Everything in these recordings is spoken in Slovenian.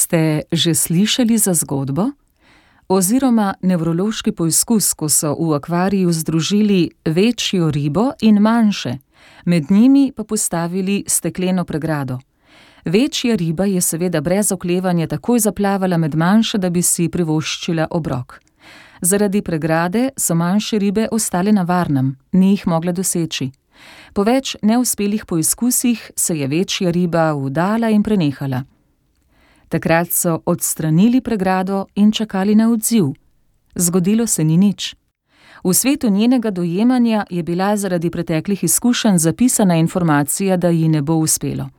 Ste že slišali za zgodbo? Oziroma nevrološki poizkus, ko so v akvariju združili večjo ribo in manjše, med njimi pa postavili stekleno pregrado. Večja riba je seveda brez oklevanja takoj zaplavala med manjše, da bi si privoščila obrok. Zaradi pregrade so manjše ribe ostale na varnem, ni jih mogla doseči. Po več neuspelih poizkusih se je večja riba vdala in prenehala. Takrat so odstranili pregrado in čakali na odziv. Zgodilo se ni nič. V svetu njenega dojemanja je bila zaradi preteklih izkušenj zapisana informacija, da ji ne bo uspelo.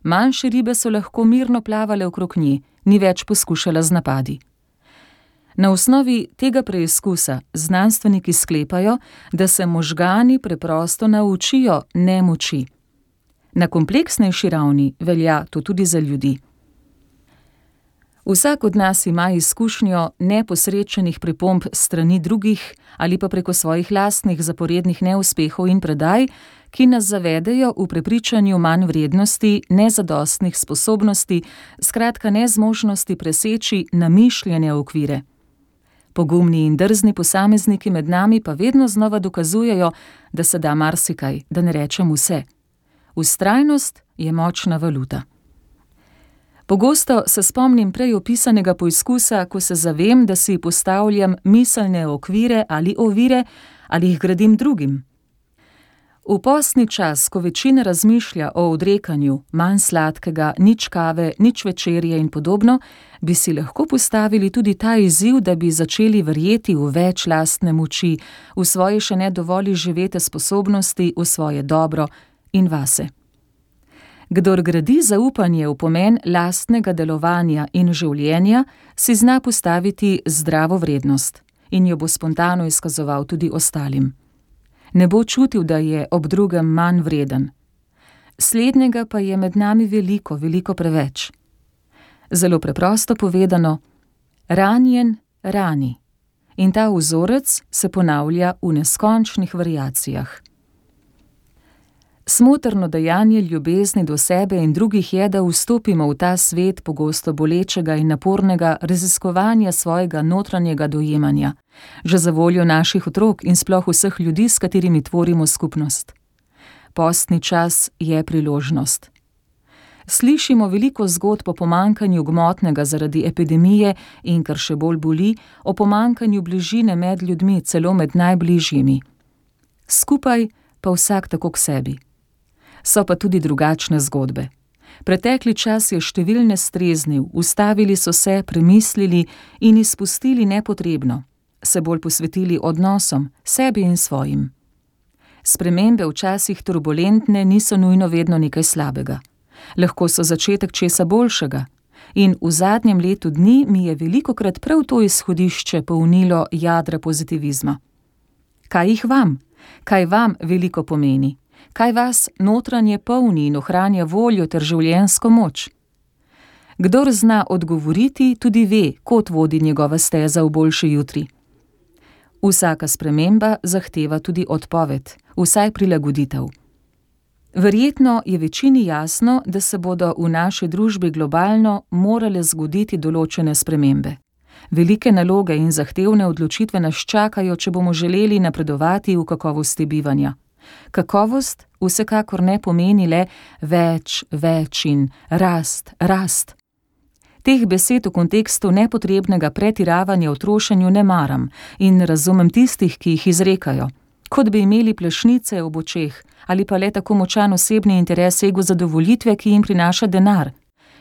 Manjše ribe so lahko mirno plavale okrog nje, ni več poskušala z napadi. Na osnovi tega preizkusa znanstveniki sklepajo, da se možgani preprosto naučijo nemoči. Na kompleksnejši ravni velja to tudi za ljudi. Vsak od nas ima izkušnjo neposrečenih pripomb strani drugih ali pa preko svojih lastnih zaporednih neuspehov in predaj, ki nas zavedejo v prepričanju manj vrednosti, nezadostnih sposobnosti, skratka nezmožnosti preseči namišljene okvire. Pogumni in drzni posamezniki med nami pa vedno znova dokazujejo, da se da marsikaj, da ne rečem vse. Vztrajnost je močna valuta. Pogosto se spomnim prej opisanega poizkusa, ko se zavem, da si postavljam miselne okvire ali ovire ali jih gradim drugim. V postni čas, ko večina razmišlja o odrekanju, manj sladkega, nič kave, nič večerje in podobno, bi si lahko postavili tudi ta izziv, da bi začeli verjeti v več lastne moči, v svoje še ne dovolj živete sposobnosti, v svoje dobro in vase. Kdor gradi zaupanje v pomen lastnega delovanja in življenja, si zna postaviti zdravo vrednost in jo bo spontano izkazoval tudi ostalim. Ne bo čutil, da je ob drugem manj vreden. Slednjega pa je med nami veliko, veliko preveč. Zelo preprosto povedano, ranjen rani. In ta vzorec se ponavlja v neskončnih variacijah. Smotrno dejanje ljubezni do sebe in drugih je, da vstopimo v ta svet pogosto bolečega in napornega raziskovanja svojega notranjega dojemanja, že za voljo naših otrok in sploh vseh ljudi, s katerimi tvorimo skupnost. Postni čas je priložnost. Slišimo veliko zgodb o pomanjkanju gmotnega zaradi epidemije in, kar še bolj boli, o pomanjkanju bližine med ljudmi, celo med najbližjimi. Skupaj pa vsak tako k sebi. So pa tudi drugačne zgodbe. Pretekli čas je številne streznil, ustavili so se, premislili in izpustili nepotrebno, se bolj posvetili odnosom, sebi in svojim. Spremembe včasih turbulentne niso nujno vedno nekaj slabega. Lahko so začetek česa boljšega. In v zadnjem letu dni mi je velikokrat prav to izhodišče polnilo jadra pozitivizma. Kaj jih vam? Kaj vam veliko pomeni? Kaj vas notranje polni in ohranja voljo ter življenjsko moč? Kdor zna odgovoriti, tudi ve, kot vodi njegova steza v boljši jutri. Vsaka sprememba zahteva tudi odpoved, vsaj prilagoditev. Verjetno je večini jasno, da se bodo v naši družbi globalno morale zgoditi določene spremembe. Velike naloge in zahtevne odločitve nas čakajo, če bomo želeli napredovati v kakovosti bivanja. Kakovost vsekakor ne pomeni le več in rast. Teh besed v kontekstu nepotrebnega pretiravanja v trošenju ne maram in razumem tistih, ki jih izrekajo, kot bi imeli plešnice ob očeh ali pa le tako močan osebni interes ego zadovoljitve, ki jim prinaša denar.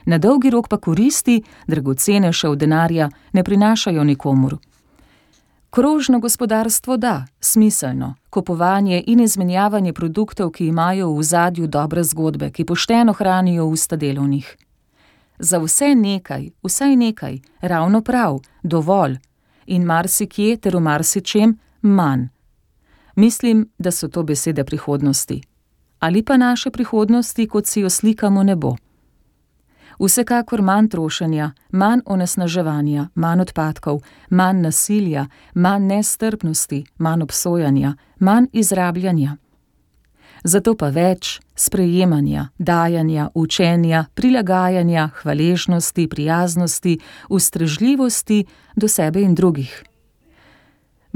Na dolgi rok pa koristi, dragocene še od denarja, ne prinašajo nikomur. Krožno gospodarstvo da, smiselno, kupovanje in izmenjavanje produktov, ki imajo v ozadju dobre zgodbe, ki pošteno hranijo usta delovnih. Za vse nekaj, vsaj nekaj, ravno prav, dovolj in marsikje ter v marsičem manj. Mislim, da so to besede prihodnosti. Ali pa naše prihodnosti, kot si jo slikamo, ne bo. Vsekakor manj trošenja, manj onesnaževanja, manj odpadkov, manj nasilja, manj nestrpnosti, manj obsojanja, manj izrabljanja. Zato pa več sprejemanja, dajanja, učenja, prilagajanja, hvaležnosti, prijaznosti, ustrežljivosti do sebe in drugih.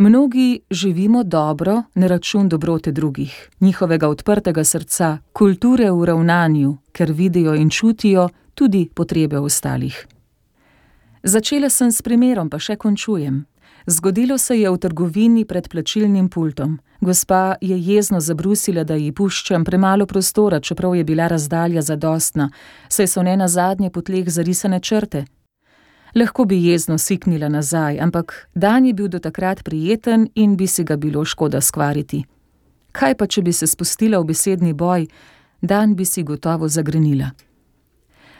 Mnogi živimo dobro na račun dobrote drugih, njihovega odprtega srca, kulture v ravnanju, ker vidijo in čutijo tudi potrebe ostalih. Začela sem s primerom, pa še končujem. Zgodilo se je v trgovini pred plačilnim pultom. Gospa je jezno zabrusila, da ji puščam premalo prostora, čeprav je bila razdalja zadostna, saj so nenazadnje po tleh zarisane črte. Lahko bi jezno siknila nazaj, ampak dan je bil do takrat prijeten in bi si ga bilo škoda skvariti. Kaj pa, če bi se spustila v besedni boj, dan bi si gotovo zagrenila.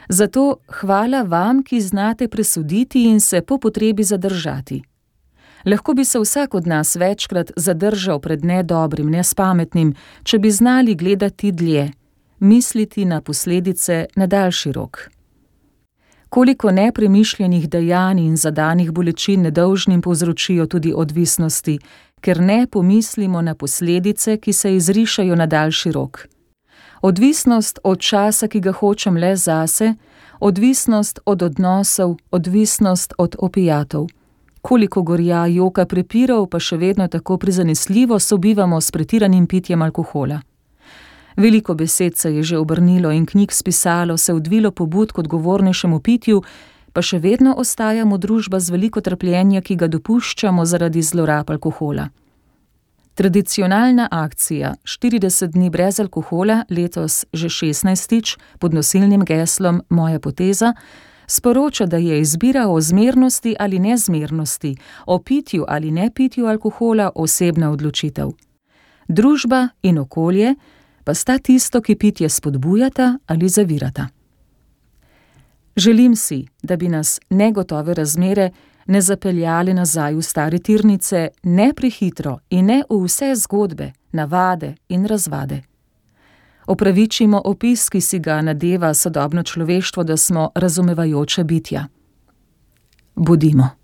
Zato hvala vam, ki znate presoditi in se po potrebi zadržati. Lahko bi se vsak od nas večkrat zadržal pred nedobrim, nespametnim, če bi znali gledati dlje, misliti na posledice na daljši rok. Koliko nepremišljenih dejanj in zadanih bolečin nedolžnim povzročijo tudi odvisnosti, ker ne pomislimo na posledice, ki se izrišajo na daljši rok. Odvisnost od časa, ki ga hočem le zase, odvisnost od odnosov, odvisnost od opijatov. Koliko gorja, joka, prepirov, pa še vedno tako prizanesljivo sobivamo s pretiranim pitjem alkohola. Veliko besed se je že obrnilo in knjig spisalo, se odvilo pobud k odgovornejšemu pitju, pa še vedno ostajamo družba z veliko trpljenja, ki ga dopuščamo zaradi zlorab alkohola. Tradicionalna akcija 40 dni brez alkohola, letos že 16. pod nosilnim geslom Moja poteza, sporoča, da je izbira o zmernosti ali nezmernosti, o pitju ali nepitju alkohola osebna odločitev. Družba in okolje pa sta tisto, ki pitje spodbujata ali zavirata. Želim si, da bi nas negotove razmere ne zapeljali nazaj v stare tirnice, ne prehitro in ne v vse zgodbe, navade in razvade. Opravičimo opis, ki si ga nadeva sodobno človeštvo, da smo razumevajoča bitja. Bodimo.